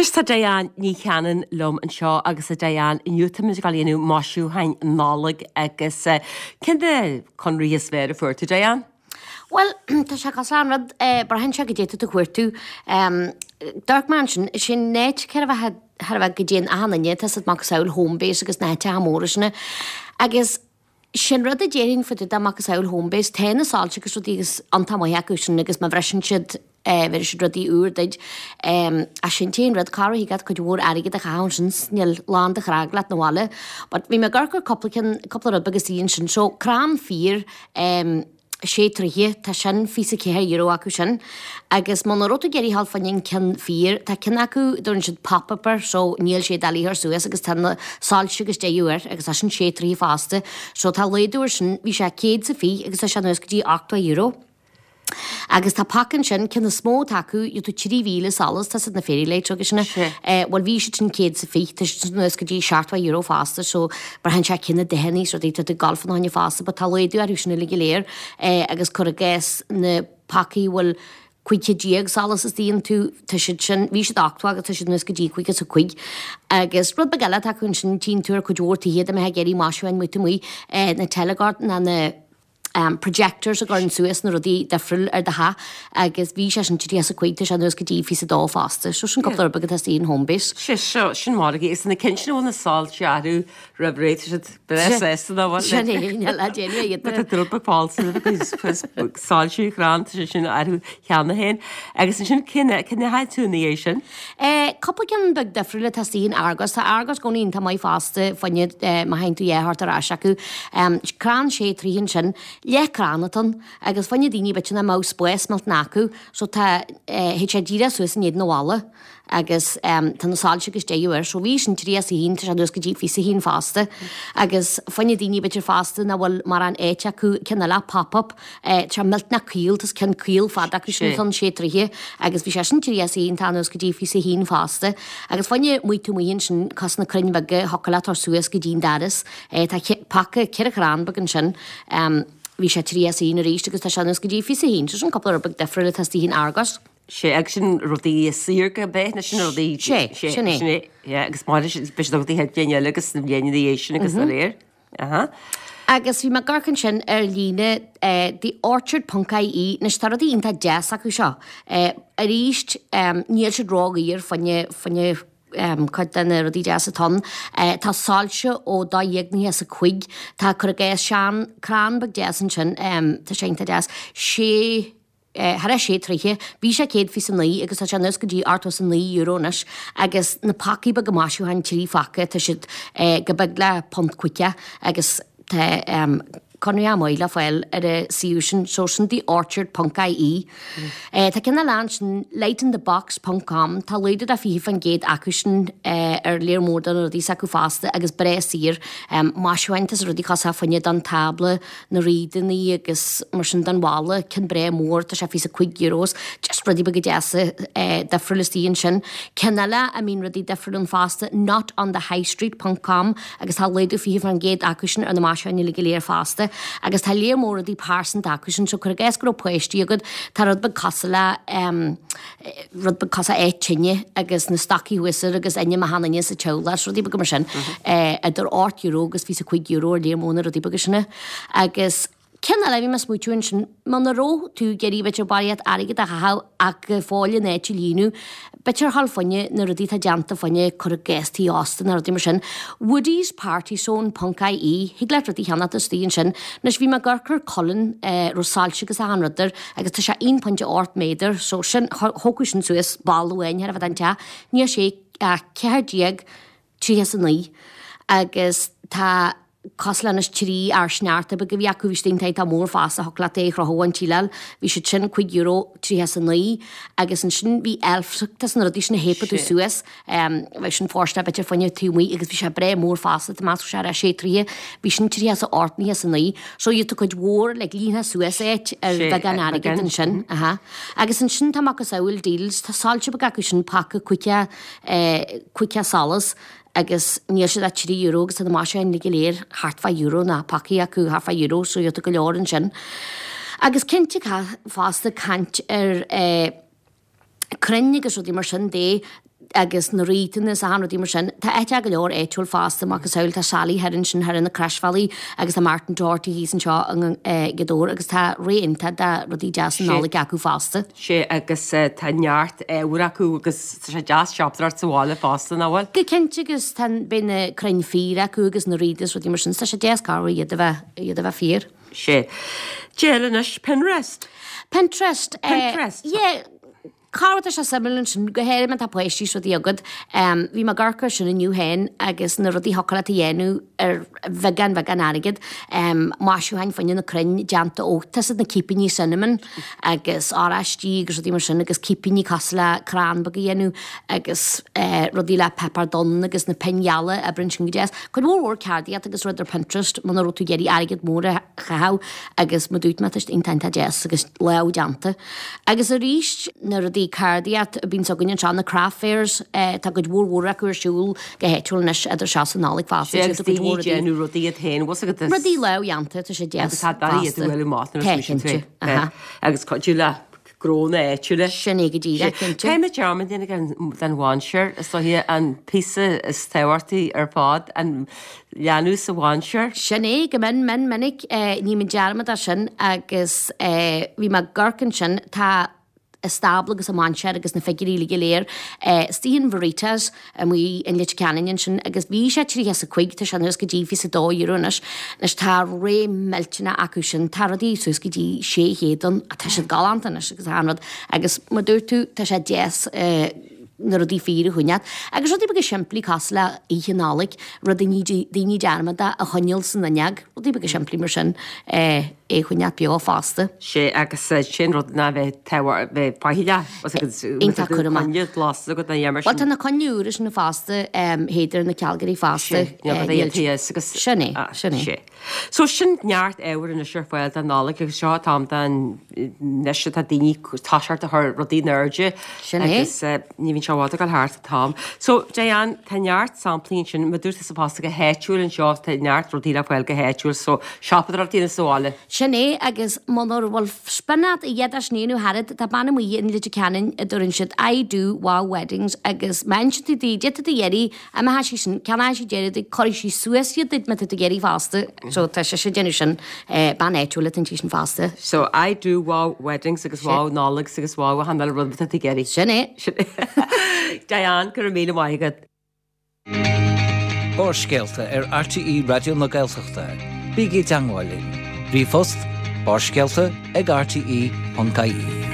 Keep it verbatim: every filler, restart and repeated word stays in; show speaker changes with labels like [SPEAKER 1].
[SPEAKER 1] Anois tá Diane Ní Chanainn liom anseo agus a Diane inniu táimid ag dul a dhéanamh maisiúcháin Nollag agus eh, cén de conraí is fearr a fuair tú Diane?
[SPEAKER 2] Well tá sé cosúil an rud braitheann sé goidé tá tú ag cuartú. D'amharc mé ansin sin net ce bheith thar a bheith go dtéann achan duine tá siad macasamhail Homebase agus na háiteacha móra sin agus sin rud a déarfainn fá dtaobh de macasamhail Homebase tá na soilse agus rudaí agus iontach maith acu sin agus má bhriseann siad bheir siad rudaí úr duit ach sin t-aon rud cá raibh agat cuid mhór airgead a chaitheamh ansin níl lán do chnámh leat na bhaile. But bhí mé ag amharc ar cúpla ceann cúpla rud beag istigh ansin so crann fíor sé troithe tá sin fiche ceathair euro acu sin agus muna raibh tú ag iarraidh a ghabháil fá choinne an ceann fíor tá ceann acu dtugann siad pop-up air so níl sé doiligh a chur suas agus tá na soilse agus deireadh air agus tá sin sé troithe fosta so tá laghdú air sin bhí sé céad is a fiche agus tá sé anuas go dtí ochtó euro. Agus tá paca ansin ceann is mó atá acu gheobhaidh tú trí mhíle solas tá siad na fairy lights agus sin bhuel bhí siad sin céad is a fiche tá siad anuas go dtí seachtó euro fosta so braitheann sé cén dathanna is rudaí tá tú ag gabháil fá choinne fosta but tá laghdú orthu sin uilig go léir agus cuir i gcás na pacaí a bhfuil cúig chéad déag solas istigh iontu tá siad sin bhí siad ochtó agus tá siad anuas go dtí caoga is a cúig agus rud beag eile atá acu ansin tchíonn tú ar cuid mhór tithe dá mbeifeá ag iarraidh maisiúcháin amuigh amuigh na telegard ná na um, projectors a gcuireann suas na rudaí difriúil ar do theach agus bhí sé sin tríocha is a cúig tá sé anuas go dtí fiche a dó fosta so sin cúpla rud beag atá istigh in Homebase.
[SPEAKER 1] Sé seo sin margaí is na cinn sin na soilse orthu roimh ré tá siad breá sásta ná bhfuil
[SPEAKER 2] Sin é níl le déanamh iad.
[SPEAKER 1] Tá drop fáil soilsiú chrann tá sé sin orthu cheana féin agus ansin cén cén háit tú ina dhiaidh sin?
[SPEAKER 2] Eh, cúpla ceann beag difriúil atá istigh in Argos Tá Argos i gcónaí iontach maith fosta fá choinne eh, má théann tú dhá thart ar ais acu. Um, crann sé troithe ansin leath crann atá ann agus fá choinne daoine b'fhéidir nach mbeadh spás millteanach acu so tá eh, thit sé díreach suas in éadan an bhalla agus um, tá na soilse agus deireadh air so bhí sin tríocha is a haon tá sé anuas go dtí fiche a haon fosta agus fá choinne daoine b'fhéidir fosta nach bhfuil mórán áit acu ceann eile pop-up eh, tá millteanach caol tá ceann caol fada acu sin
[SPEAKER 1] Sé.
[SPEAKER 2] an sé troithe agus bhí sé sin tríocha is a haon tá anuas go dtí fiche a haon fosta agus fá choinne amuigh taobh amuigh ansin cosúil na crainn bheaga thiocfadh leat a chur suas go dtí an doras eh, tá ce- paca ceithre chrann beag ansin um, bhí sé tríocha is a haon arís agus tá sé anuas go dtí fiche a haon so sin cúpla rud beag difriúil atá istigh in Argos.
[SPEAKER 1] Sé agus sin rudaí saor go bith na sin rudaí
[SPEAKER 2] Sé, sin é.
[SPEAKER 1] sin é yeah, agus mar be rudaí het bliain eile agus na bliana ina dhiaidh sin agus mm -hmm. Aha.
[SPEAKER 2] Agus bhí mé ag amharc ansin ar líne eh, theorchard.ie anois tá rudaí iontach deas acu seo. Eh, arís um, níl siad ródhaor fá choinne fá choinne um, cuid de na rudaí deas atá ann. Eh, tá soilse ó dó dhéag nócha is a cúig tá cur i gcás sean crann beag deas ansin um, tá sé iontach deas sé Eh, thar sé troithe, bhí sé céad fiche naoi agus tá sé anuas go dtí ochtó is a naoi euro anois agus na pacaí beaga maisiúcháin trí phaca tá siad eh, go beag le punt caoga agus tá um, conradh maith le fáil ar a suíomh sin so sin theorchard.ie. Eh, tá ceann eile ansin lightinthebox.com tá laghdú de fiche faoin gcéad acu sin eh, ar léir mór de na rudaí s'acu fosta agus breá saor um, maisiúcháin tá rudaí cosúil fá choinne don tábla na réadanna agus mar sin don bhalla ceann breá mór tá sé fiche cúig euros just rudaí beaga deasa eh, difriúil istigh ansin. Ceann eile a mbíonn rudaí difriúil ann fosta notonthehighstreet.com agus tá laghdú fiche faoin gcéad acu sin ar na maisiúcháin uilig go léir fosta agus tá léir mór rudaí pearsanta acu sin so cuir i gcás go raibh páistí agat tá rud beag cosúil le um, rud beag cosúil é tine agus na stocaí thuas air agus ainm achan duine sa teaghlach rudaí beaga mar sin eh, idir ocht euro agus fiche cúig euro ar léir mór na rudaí beaga sin agus Ceann eile bhí mé ag smaoitiú ansin muna raibh tú ag iarraidh b'fhéidir barraíocht airgead a chaitheamh ach go fóill an áit a líonadh, b'fhéidir a ghabháil fá choinne na rudaí atá déanta fá choinne cur i gcás tí ósta na rudaí mar sin. woodiespartyzone.ie Thig leat rudaí a cheannacht istigh ansin. Anois bhí mé ag amharc ar colainn eh, raibh soilse agus achan rud air agus tá sé aon pointe ocht méadar so sin thógfadh sin suas ball amháin thar a bheith an teach. Níl sé ach ceathair déag tríocha is a naoi agus tá cosúil leis trí fhear sneachta beag a bhí acu bhí siad tá mór fosta thiocfadh leat é a chrochadh an tsíleáil bhí siad sin cúig euro tríocha is a naoi agus ansin bhí elf tá na rudaí sin a théipeadh tú
[SPEAKER 1] Sé.
[SPEAKER 2] suas um, bheith sin fóirsteach b'fhéidir fá choinne taobh amuigh agus bhí sé breá mór fosta tá meas sé ar sé troithe bhí sin tríocha is a ocht nócha is a naoi so iad cuid mhór le líonadh suas áit ar
[SPEAKER 1] Sé,
[SPEAKER 2] bheagán
[SPEAKER 1] ar
[SPEAKER 2] airgead
[SPEAKER 1] beagán.
[SPEAKER 2] ansin aha. agus ansin tá macasamhail deals tá soilse beag acu sin paca caoga eh, caoga solas agus níl siad ach trí euro agus tá na maisiúcháin go léir thart fá euro na pacaí acu thart fá euro so iad go leor ansin. Agus cinnte ca- fosta caint ar eh, crainn agus rudaí mar sin de agus na wreathanna is achan rudaí mar sin. Tá áit go leor áitiúil fosta macasamhail tá Sally thoir ansin thoir ar na Croisbhealaí agus tá Martin Doherty thíos anseo i nGaoth Dobhair agus tá ré iontach de rudaí deasa Nollag acu fosta.
[SPEAKER 1] Sé agus tá neart ábhair acu agus tá sé deas siopadóireacht sa bhaile fosta, nach bhfuil?
[SPEAKER 2] Go cinnte agus tá beidh na crainn fíor acu agus na wreaths is rudaí mar sin, tá sé deas cabhrú iad a bheith iad a bheith fíor.
[SPEAKER 1] Sé. Déan anois Pinterest.
[SPEAKER 2] Pinterest.
[SPEAKER 1] Pinterest.
[SPEAKER 2] Yeah. Cá tá sé suimiúil ansin go háirithe má tá páistí is rudaí agat. Bhí mé ag amharc air sin inniu féin agus na rudaí thiocfadh leat a dhéanamh ar bheagán bheagán airgid. Maisiúcháin fá choinne na crainn déanta ó tá 's agat na cipíní cinnamon agus oráistí agus rudaí mar sin agus cipíní cosúil le crann beag a dhéanamh agus rudaí le páipéar donn agus na pinn gheala oibríonn sin go deas. Cuid mhór mhór ceardaíocht agus rud ar Pinterest muna raibh tú ag iarraidh airgead mór a chaitheamh agus mar a dúirt mé tá siad iontach iontach deas agus lámhdhéanta. Agus arís na rudaí ceardaíocht a bhíonns againn anseo, na craft fairs, tá cuid mhór mhór acu ar siúl go háitiúil anois idir seo is an Nollaig fosta.
[SPEAKER 1] Sé agus daoine ag déanamh rudaí iad féin, bhfuil 's agat is.
[SPEAKER 2] Rudaí lámhdhéanta, tá sé deas
[SPEAKER 1] Agus tá daoine iad a bhfuil amach nuair a
[SPEAKER 2] Tá, cinnte, aha.
[SPEAKER 1] Agus cuidiú le gnónna áitiúla.
[SPEAKER 2] Sin é go díreach, cinnte.
[SPEAKER 1] Caithfidh mé dearmad a dhéanamh den mhainséar, is dóiche an píosa is tábhachtaí ar fad, an leanbh sa mhainséar.
[SPEAKER 2] Sin é, go mion mion minic, ní mé dearmad as sin agus bhí mé ag amharc ansin, tá an stábla agus an mainséar agus na figiúirí uilig go léir istigh in Veritas amuigh in Leitir Ceanainn ansin agus bhí sé tríocha is a cúig, tá sé anuas go dtí fiche is a dó euro anois. Anois tá ré millteanach acu sin, tá rudaí suas go dtí sé chéad ann, tá siad galánta anois agus achan rud agus mar dúirt tú tá sé deas na rudaí fíor a choinneáil. Agus rudaí beaga simplí cosúil le Oíche Nollag, rud a ní daoine dearmad a choinneáil san fhuinneog, rudaí beaga simplí mar sin é a choinneáil beo fosta.
[SPEAKER 1] Sé agus sin rud ná bheith tábhacht bheith faichilleach agus
[SPEAKER 2] Iontach cúramach.
[SPEAKER 1] coinne glas agat na dhéanamh
[SPEAKER 2] Bhuel tá na coinnle úra sin fosta théadar na cealgairí fosta.
[SPEAKER 1] Sé, níl rud é thíos agus
[SPEAKER 2] Sin é, sin é.
[SPEAKER 1] Sé. So sin neart ábhair anois ar fáil don Nollaig agus seo an t-am don anois atá daoine toiseacht a chur rudaí in airde
[SPEAKER 2] Sin é.
[SPEAKER 1] agus ní bhíonn sé i bhfad ag dul thart an t-am. So Diane, tá neart samplaí ansin, mar dúirt tusa fosta go háitiúil anseo, tá neart rudaí le fáil go háitiúil so siopadóireacht a dhéanamh sa bhaile.
[SPEAKER 2] Sin é agus muna bhfuil spion agat a dhéadfadh sin a dhéanamh thairid, tá bean amuigh in Leitir Ceanainn a dtuireann siad I do wow weddings agus má insíonn tú di, d'fhéadfadh tú iarraidh, a mbeadh sí sin, ceannóidh sí deireadh duit, cuirfidh sí suas iad duit má tá tú ag iarraidh fosta. So tá sise ag déanamh sin, bean áitiúil atá inti sin fosta.
[SPEAKER 1] So I do wow weddings agus wow Nollags agus wow achan uile rud atá tú ag iarraidh.
[SPEAKER 2] Sin é.
[SPEAKER 1] Sin é. Diane, go raibh míle maith agat.
[SPEAKER 3] Barrscéalta ar RTÉ Raidió na Gaeltachta. Bígí i dteagmháil linn. Ríomhphost barrscéalta ag rte.ie.